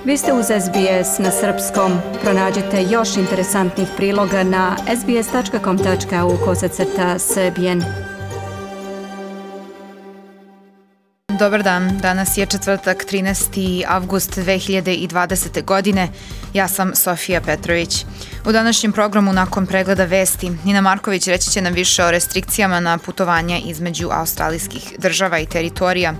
Vi ste uz SBS na srpskom. Pronađite još interesantnih priloga na sbs.com.au/srbijen. Dobar dan, danas je četvrtak 13. avgust 2020. godine. Ja sam Sofija Petrović. U današnjem programu nakon pregleda vesti, Nina Marković reći će nam više o restrikcijama na putovanja između australijskih država i teritorija.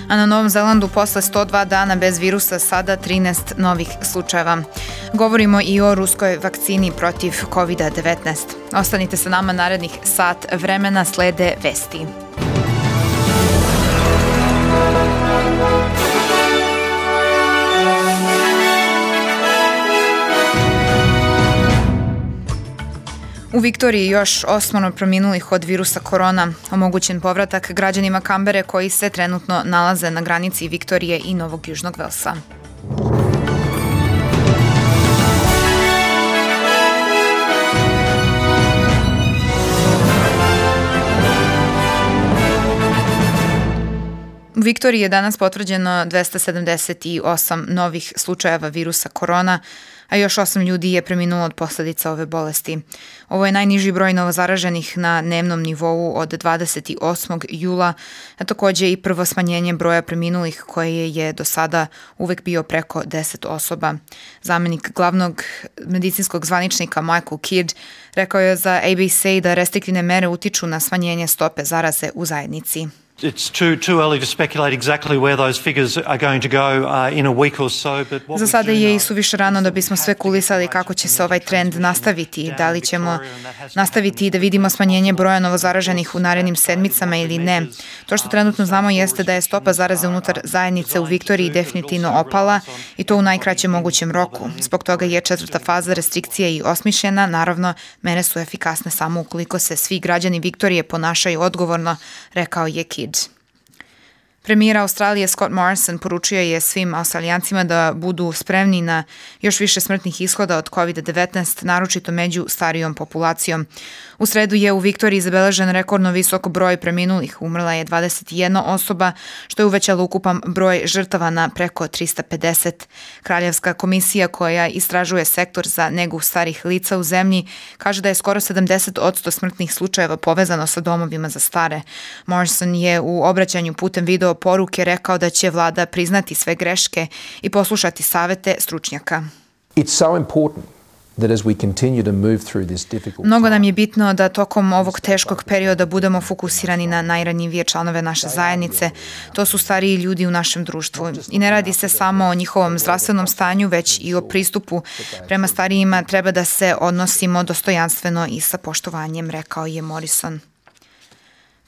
A na Novom Zelandu posle 102 dana bez virusa sada 13 novih slučajeva. Govorimo i o ruskoj vakcini protiv COVID-19. Ostanite sa nama narednih sat vremena, slede vesti. U Viktoriji još 8 preminulih od virusa korona. Omogućen povratak građanima Kambere koji se trenutno nalaze na granici Viktorije i Novog Južnog Velsa. U Viktoriji je danas potvrđeno 278 novih slučajeva virusa korona, a još 8 ljudi je preminulo od posljedica ove bolesti. Ovo je najniži broj novozaraženih na dnevnom nivou od 28. jula, a također i prvo smanjenje broja preminulih koje je do sada uvek bio preko 10 osoba. Zamenik glavnog medicinskog zvaničnika Michael Kidd rekao je za ABC da restriktivne mere utiču na smanjenje stope zaraze u zajednici. Za sada je i suviše rano da bismo spekulisali kako će se ovaj trend nastaviti, da li ćemo nastaviti da vidimo smanjenje broja novozaraženih u narednim sedmicama ili ne. To što trenutno znamo jeste da je stopa zaraze unutar zajednice u Viktoriji definitivno opala i to u najkraćem mogućem roku. Zbog toga je četvrta faza restrikcije i osmišljena. Naravno, mere su efikasne samo ukoliko se svi građani Viktorije ponašaju odgovorno, rekao je Kidd. Premijer Australije Scott Morrison poručio je svim Australijancima da budu spremni na još više smrtnih ishoda od COVID-19, naročito među starijom populacijom. U sredu je u Viktoriji zabeležen rekordno visok broj preminulih. Umrla je 21 osoba, što je uvećalo ukupan broj žrtava na preko 350. Kraljevska komisija koja istražuje sektor za negu starih lica u zemlji kaže da je skoro 70% smrtnih slučajeva povezano sa domovima za stare. Morrison je u obraćanju putem video poruke rekao da će vlada priznati sve greške i poslušati savete stručnjaka. Mnogo nam je bitno da tokom ovog teškog perioda budemo fokusirani na najranjivije članove naše zajednice. To su stariji ljudi u našem društvu. I ne radi se samo o njihovom zdravstvenom stanju, već i o pristupu prema starijima. Treba da se odnosimo dostojanstveno i sa poštovanjem, rekao je Morrison.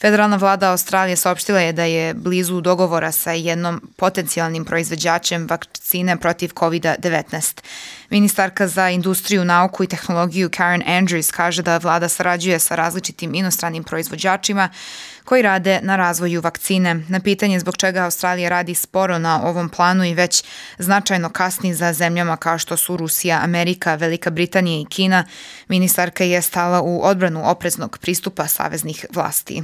Federalna vlada Australije saopštila je da je blizu dogovora sa jednom potencijalnim proizvođačem vakcine protiv COVID-19. Ministarka za industriju, nauku i tehnologiju Karen Andrews kaže da vlada sarađuje sa različitim inostranim proizvođačima koji rade na razvoju vakcine. Na pitanje zbog čega Australija radi sporo na ovom planu i već značajno kasni za zemljama kao što su Rusija, Amerika, Velika Britanija i Kina, ministarka je stala u odbranu opreznog pristupa saveznih vlasti.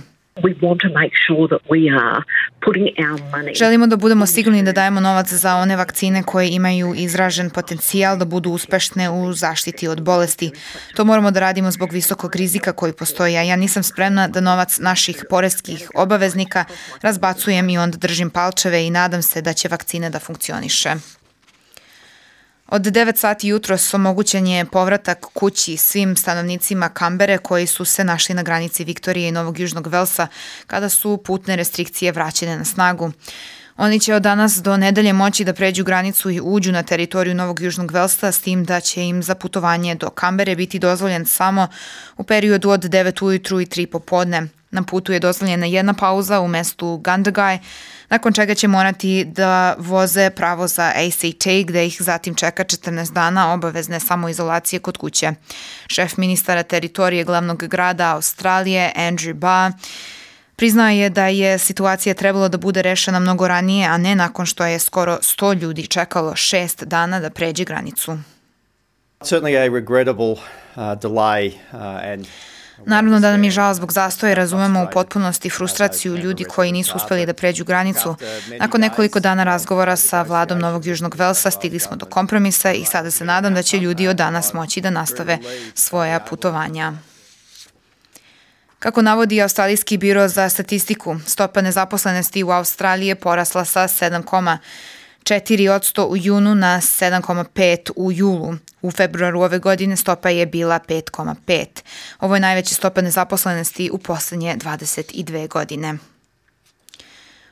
Želimo da budemo sigurni da dajemo novac za one vakcine koje imaju izražen potencijal da budu uspešne u zaštiti od bolesti. To moramo da radimo zbog visokog rizika koji postoji, a ja nisam spremna da novac naših poreskih obaveznika razbacujem i onda držim palčeve i nadam se da će vakcine da funkcioniše. Od 9 sati jutros omogućen je povratak kući svim stanovnicima Kambere koji su se našli na granici Viktorije i Novog Južnog Velsa kada su putne restrikcije vraćene na snagu. Oni će od danas do nedelje moći da pređu granicu i uđu na teritoriju Novog Južnog Velsa, s tim da će im za putovanje do Kambere biti dozvoljen samo u periodu od 9 ujutru i 3 popodne. Na putu je dozvoljena jedna pauza u mestu Gundagai, nakon čega će morati da voze pravo za ACT, gde ih zatim čeka 14 dana obavezne samoizolacije kod kuće. Šef ministara teritorije glavnog grada Australije, Andrew Barr, priznao je da je situacija trebalo da bude rešena mnogo ranije, a ne nakon što je skoro 100 ljudi čekalo 6 dana da pređe granicu. Naravno da nam je žao zbog zastoja, razumemo u potpunosti frustraciju ljudi koji nisu uspeli da pređu granicu. Nakon nekoliko dana razgovora sa vladom Novog Južnog Velsa stigli smo do kompromisa i sada se nadam da će ljudi od danas moći da nastave svoja putovanja. Kako navodi Australijski biro za statistiku, stopa nezaposlenosti u Australiji je porasla sa 7,4% u junu na 7,5% u julu. U februaru ove godine stopa je bila 5,5%. Ovo je najveća stopa nezaposlenosti u poslednje 22 godine.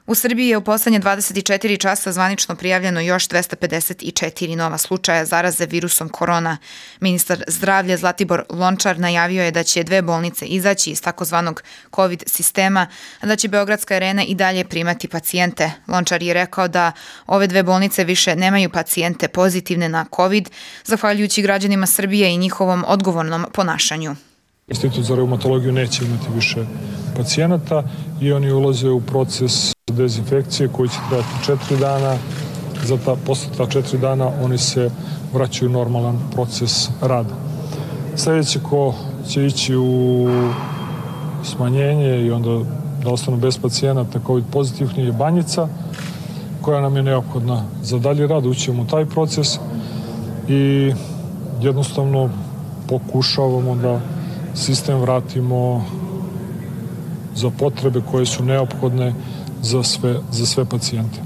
U Srbiji je u poslednje 24 časa zvanično prijavljeno još 254 nova slučaja zaraze virusom korona. Ministar zdravlja Zlatibor Lončar najavio je da će 2 bolnice izaći iz takozvanog COVID sistema, a da će Beogradska arena i dalje primati pacijente. Lončar je rekao da ove 2 bolnice više nemaju pacijente pozitivne na COVID, zahvaljujući građanima Srbije i njihovom odgovornom ponašanju. Institut za reumatologiju neće imati više pacijenata i oni ulaze u proces dezinfekcije koji će trajati 4 dana. Posle ta 4 dana oni se vraćaju u normalan proces rada. Sljedeće ko će ići u smanjenje i onda da ostanu bez pacijenata COVID pozitivni je Banjica, koja nam je neophodna za dalji rad. Ućemo u taj proces i jednostavno pokušavamo da sistem vratimo za potrebe koje su neophodne za sve pacijente.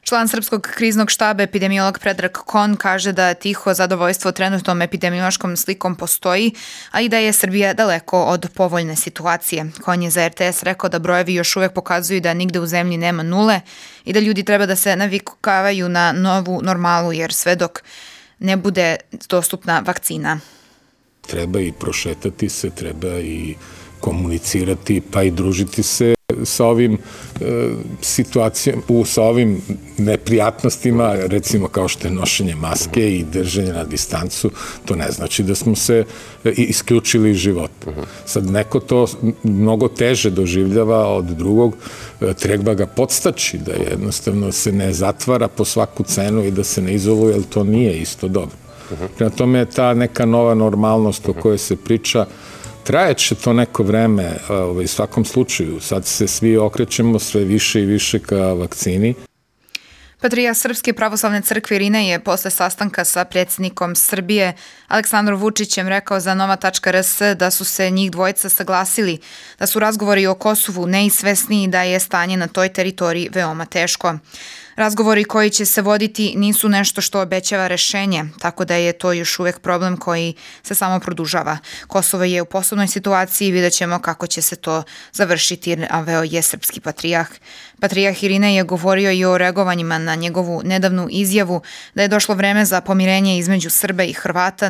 Član Srpskog kriznog štaba, epidemiolog Predrag Kon, kaže da tiho zadovoljstvo trenutnom epidemiološkom slikom postoji, a i da je Srbija daleko od povoljne situacije. Kon je za RTS rekao da brojevi još uvek pokazuju da nigde u zemlji nema nule i da ljudi treba da se navikavaju na novu normalu, jer sve dok ne bude dostupna vakcina. Treba i prošetati se, treba i komunicirati, pa i družiti se sa ovim situacijama, sa ovim neprijatnostima, recimo kao što je nošenje maske i držanje na distancu, to ne znači da smo se isključili iz života. Sad neko to mnogo teže doživljava od drugog, treba ga podstaći da jednostavno se ne zatvara po svaku cenu i da se ne izoluje, jer to nije isto dobro. Prema tome je ta neka nova normalnost o kojoj se priča, trajeće to neko vreme, u svakom slučaju. Sad se svi okrećemo sve više i više ka vakcini. Patrijarh Srpske pravoslavne crkve Irinej je posle sastanka sa predsjednikom Srbije Aleksandrom Vučićem rekao za Nova.rs da su se njih dvojica saglasili, da su razgovori o Kosovu neizvesni i da je stanje na toj teritoriji veoma teško. Razgovori koji će se voditi nisu nešto što obećava rešenje, tako da je to još uvek problem koji se samo produžava. Kosovo je u posebnoj situaciji i vidjet ćemo kako će se to završiti, naveo je srpski patrijarh. Patrijarh Irinej je govorio i o reagovanjima na njegovu nedavnu izjavu da je došlo vreme za pomirenje između Srba i Hrvata,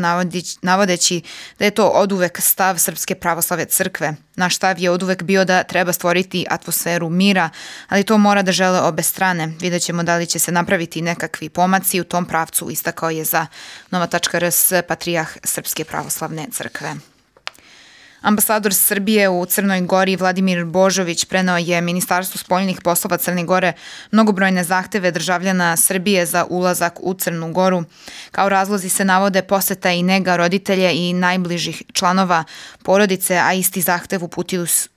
navodeći da je to oduvek stav Srpske pravoslavne crkve. Naš stav je oduvek bio da treba stvoriti atmosferu mira, ali to mora da žele obe strane. Vidjet ćemo da li će se napraviti nekakvi pomaci u tom pravcu, istakao je za Nova.rs patrijarh Srpske pravoslavne crkve. Ambasador Srbije u Crnoj Gori Vladimir Božović preneo je Ministarstvu spoljnih poslova Crne Gore mnogobrojne zahteve državljana Srbije za ulazak u Crnu Goru. Kao razlozi se navode poseta i nega roditelja i najbližih članova porodice, a isti zahtev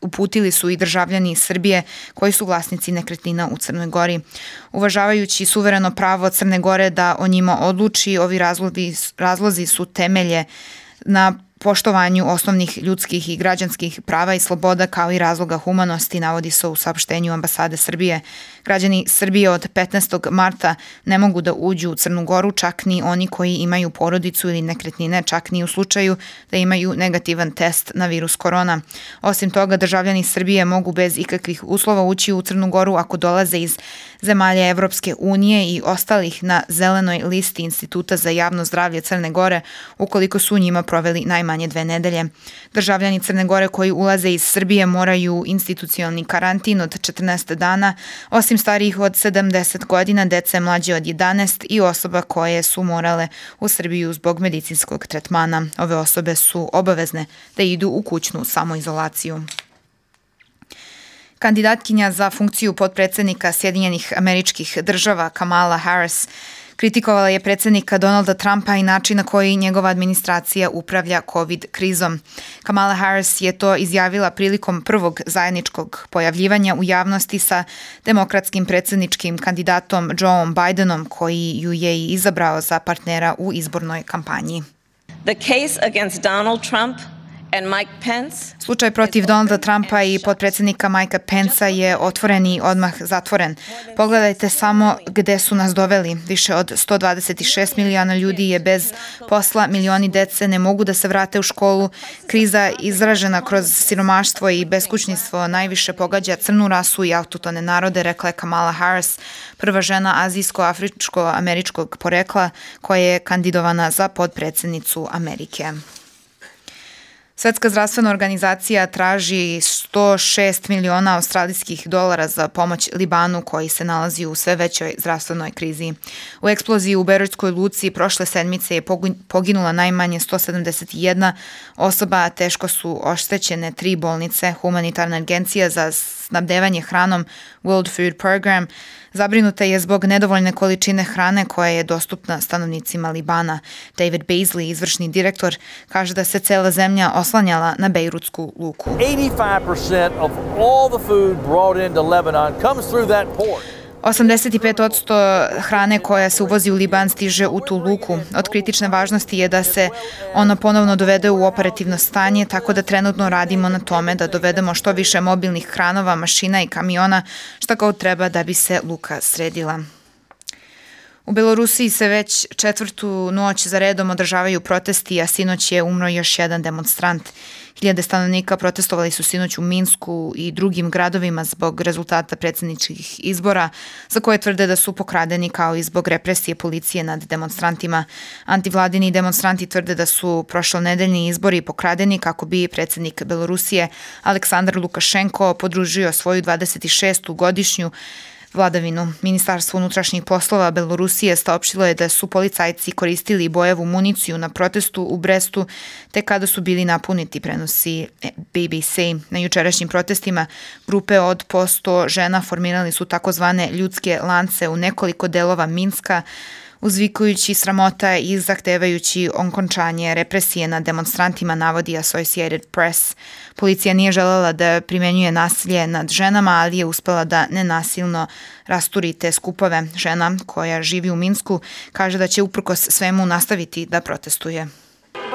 uputili su i državljani Srbije koji su vlasnici nekretnina u Crnoj Gori. Uvažavajući suvereno pravo Crne Gore da o njima odluči, ovi razlozi su temelje na poštovanju osnovnih ljudskih i građanskih prava i sloboda kao i razloga humanosti, navodi se u saopštenju ambasade Srbije. Građani Srbije od 15. marta ne mogu da uđu u Crnu Goru, čak ni oni koji imaju porodicu ili nekretnine, čak ni u slučaju da imaju negativan test na virus korona. Osim toga, državljani Srbije mogu bez ikakvih uslova ući u Crnu Goru ako dolaze iz zemalja Evropske unije i ostalih na zelenoj listi Instituta za javno zdravlje Crne Gore, ukoliko su u njima proveli najmanje 2 nedelje. Državljani Crne Gore koji ulaze iz Srbije moraju institucionalni karantin od 14 dana, osim starijih od 70 godina, dece mlađe od 11 i osoba koje su morale u Srbiju zbog medicinskog tretmana. Ove osobe su obavezne da idu u kućnu samoizolaciju. Kandidatkinja za funkciju potpredsednika Sjedinjenih Američkih Država Kamala Harris Kritikovala je predsjednika Donalda Trumpa i način na koji njegova administracija upravlja COVID krizom. Kamala Harris je to izjavila prilikom prvog zajedničkog pojavljivanja u javnosti sa demokratskim predsjedničkim kandidatom Joeom Bidenom, koji ju je i izabrao za partnera u izbornoj kampanji. The case against Donald Trump and Mike Pence. Slučaj protiv Donalda Trumpa i potpredsjednika Mikea Pencea je otvoren i odmah zatvoren. Pogledajte samo gde su nas doveli. Više od 126 miliona ljudi je bez posla, milioni dece ne mogu da se vrate u školu. Kriza izražena kroz siromaštvo i beskućništvo najviše pogađa crnu rasu i autohtone narode, rekla je Kamala Harris, prva žena azijsko-afričko-američkog porekla koja je kandidovana za potpredsjednicu Amerike. Svetska zdravstvena organizacija traži 106 miliona australijskih dolara za pomoć Libanu koji se nalazi u sve većoj zdravstvenoj krizi. U eksploziji u Beirutskoj luci prošle sedmice je poginula najmanje 171 osoba, a teško su oštećene 3 bolnice. Humanitarna agencija za snabdevanje hranom World Food Program zabrinuta je zbog nedovoljne količine hrane koja je dostupna stanovnicima Libana. David Beasley, izvršni direktor, kaže da se cela zemlja oslanjala na Bejrutsku luku. 85% of all the food brought into Lebanon comes through that port. 85% hrane koja se uvozi u Liban stiže u tu luku. Od kritične važnosti je da se ono ponovno dovede u operativno stanje, tako da trenutno radimo na tome da dovedemo što više mobilnih kranova, mašina i kamiona, šta god treba da bi se luka sredila. U Belorusiji se već 4. noć za redom održavaju protesti, a sinoć je umro još jedan demonstrant. Hiljade stanovnika protestovali su sinoć u Minsku i drugim gradovima zbog rezultata predsjedničkih izbora, za koje tvrde da su pokradeni kao i zbog represije policije nad demonstrantima. Antivladini demonstranti tvrde da su prošlonedeljni izbori pokradeni kako bi predsjednik Belorusije Aleksandar Lukašenko podružio svoju 26. godišnju vladavinu. Ministarstvo unutrašnjih poslova Belorusije saopštilo je da su policajci koristili bojevu municiju na protestu u Brestu, te kada su bili napuniti, prenosi BBC. Na jučerašnjim protestima grupe od po 100 žena formirali su takozvane ljudske lance u nekoliko delova Minska, uzvikujući sramota i zahtevajući okončanje represije nad demonstrantima, navodi Associated Press. Policija nije želela da primenjuje nasilje nad ženama, ali je uspela da nenasilno rasturi te skupove. Žena koja živi u Minsku kaže da će uprkos svemu nastaviti da protestuje.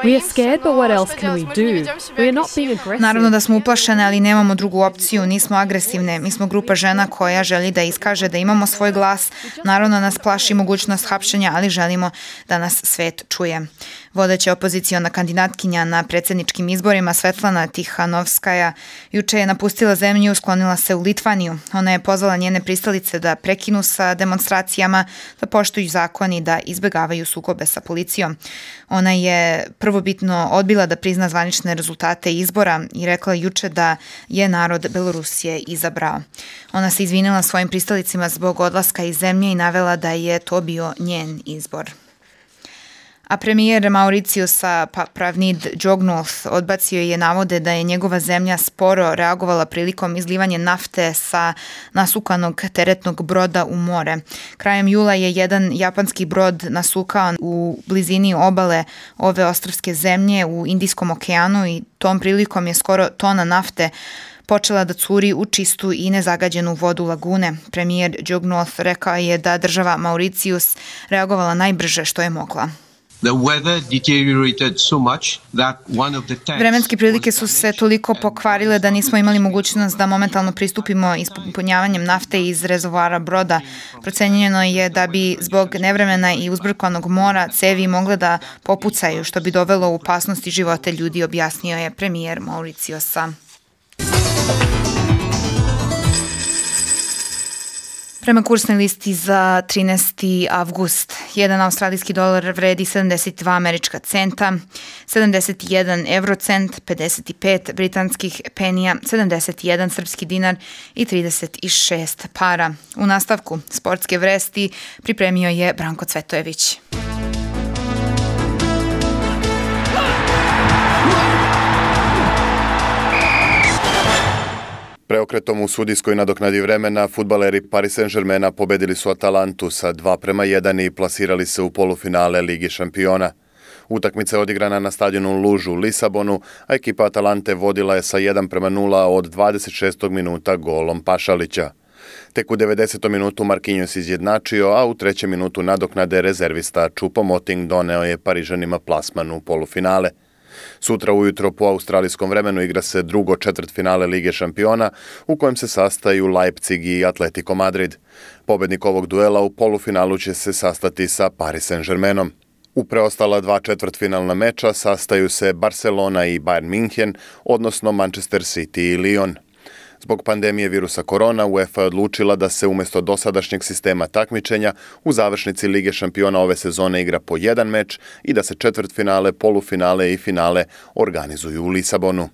We are scared, but what else can we do? We are not being aggressive. Naravno da smo uplašene, ali nemamo drugu opciju, nismo agresivne. Mi smo grupa žena koja želi da iskaže da imamo svoj glas. Naravno nas plaši mogućnost hapšenja, ali želimo da nas svet čuje. Vodeća opoziciona kandidatkinja na predsjedničkim izborima Svetlana Tihanovskaja juče je napustila zemlju i sklonila se u Litvaniju. Ona je pozvala njene pristalice da prekinu sa demonstracijama, da poštuju zakon i da izbegavaju sukobe sa policijom. Ona je prvobitno odbila da prizna zvanične rezultate izbora i rekla juče da je narod Belorusije izabrao. Ona se izvinila svojim pristalicima zbog odlaska iz zemlje i navela da je to bio njen izbor. A premijer Mauriciusa Pravnid Jugnauth odbacio je navode da je njegova zemlja sporo reagovala prilikom izlivanja nafte sa nasukanog teretnog broda u more. Krajem jula je jedan japanski brod nasukao u blizini obale ove ostrvske zemlje u Indijskom okeanu i tom prilikom je skoro tona nafte počela da curi u čistu i nezagađenu vodu lagune. Premijer Jugnauth rekao je da država Mauricius reagovala najbrže što je mogla. Vremenske prilike su se toliko pokvarile da nismo imali mogućnost da momentalno pristupimo ispunjavanjem nafte iz rezervoara broda. Procenjeno je da bi zbog nevremena i uzburkanog mora cevi mogle da popucaju, što bi dovelo u opasnosti živote ljudi, objasnio je premijer Mauriciusa. Prema kursnoj listi za 13. avgust, 1 australijski dolar vredi 72 američka centa, 71 eurocent, 55 britanskih penija, 71 srpski dinar i 36 para. U nastavku sportske vesti pripremio je Branko Cvetojević. Preokretom u sudijskoj nadoknadi vremena fudbaleri Paris Saint-Germaina pobedili su Atalantu sa 2:1 i plasirali se u polufinale Lige šampiona. Utakmica je odigrana na stadionu Lužu u Lisabonu, a ekipa Atalante vodila je sa 1:0 od 26. minuta golom Pašalića. Tek u 90. minutu Marquinhos izjednačio, a u 3. minutu nadoknade rezervista Choupo-Moting doneo je Parižanima plasman u polufinale. Sutra ujutro po australijskom vremenu igra se drugo četvrtfinale Lige šampiona u kojem se sastaju Leipzig i Atletico Madrid. Pobednik ovog duela u polufinalu će se sastati sa Paris Saint-Germainom. U preostala 2 četvrtfinalna meča sastaju se Barcelona i Bayern München, odnosno Manchester City i Lyon. Zbog pandemije virusa korona, UEFA je odlučila da se umjesto dosadašnjeg sistema takmičenja u završnici Lige šampiona ove sezone igra po 1 meč i da se četvrtfinale, polufinale i finale organizuju u Lisabonu.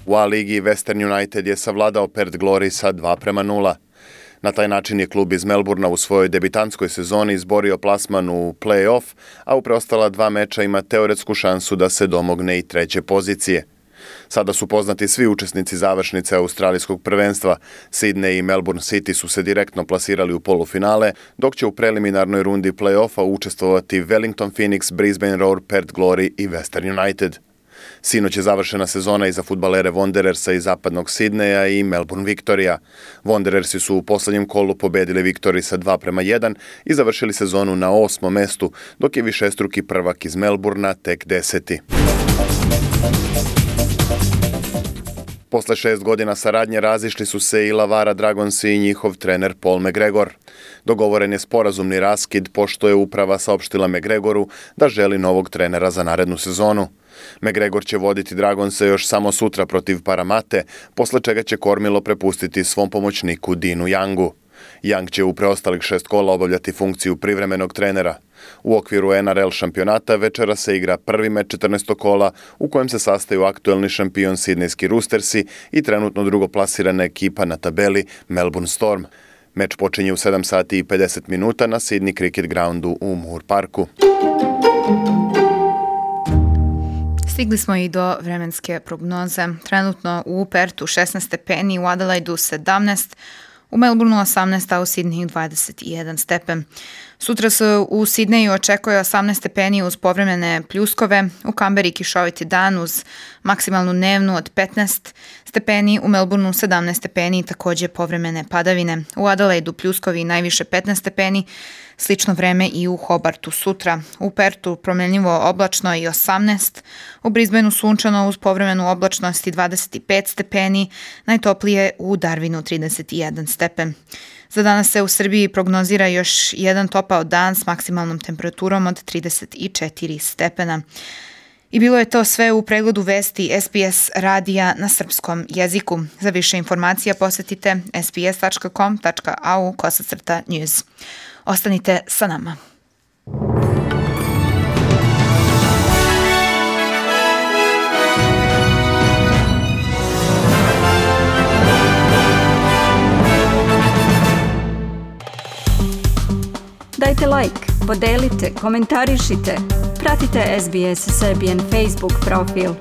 U A-ligi Western United je savladao Perth Glory sa 2:0. Na taj način je klub iz Melbourna u svojoj debitanskoj sezoni izborio plasman u play-off, a u preostala 2 meča ima teoretsku šansu da se domogne i 3. pozicije. Sada su poznati svi učesnici završnice australijskog prvenstva. Sydney i Melbourne City su se direktno plasirali u polufinale, dok će u preliminarnoj rundi play-offa učestvovati Wellington Phoenix, Brisbane Roar, Perth Glory i Western United. Sinoć je završena sezona i za fudbalere Wanderersa iz zapadnog Sidneja i Melbourne Victoria. Wanderersi su u posljednjem kolu pobedili Victory sa 2:1 i završili sezonu na 8. mestu, dok je višestruki prvak iz Melbourna tek 10. Posle 6 godina saradnje razišli su se i Lavara Dragonsi i njihov trener Paul McGregor. Dogovoren je sporazumni raskid pošto je uprava saopštila McGregoru da želi novog trenera za narednu sezonu. McGregor će voditi Dragonse još samo sutra protiv Paramate, posle čega će kormilo prepustiti svom pomoćniku Dinu Youngu. Young će u preostalih 6 kola obavljati funkciju privremenog trenera. U okviru NRL šampionata večera se igra prvi meč 14. kola u kojem se sastaju aktuelni šampion Sidnejski Roostersi i trenutno drugoplasirana ekipa na tabeli Melbourne Storm. Meč počinje u 7:50 na Sydney Cricket Groundu u Moore Parku. Stigli smo i do vremenske prognoze. Trenutno u Pertu 16 stepeni, u Adelaidu 17, u Melbourneu 18, a u Sydneyu 21 stepen. Sutra se u Sidneju očekuje 18 stepeni uz povremene pljuskove, u Kamberi kišoviti dan uz maksimalnu dnevnu od 15 stepeni, u Melbourneu 17 stepeni i također povremene padavine. U Adelaidu pljuskovi najviše 15 stepeni, slično vreme i u Hobartu sutra. U Pertu promjenljivo oblačno i 18, u Brisbaneu sunčano uz povremenu oblačnost i 25 stepeni, najtoplije u Darwinu 31 stepen. Za danas se u Srbiji prognozira još jedan topao dan s maksimalnom temperaturom od 34 stepena. I bilo je to sve u pregledu vesti SBS radija na srpskom jeziku. Za više informacija posjetite sbs.com.au/news. Ostanite sa nama. Dajte like, podelite, komentarišite. Pratite SBS Serbian Facebook profil.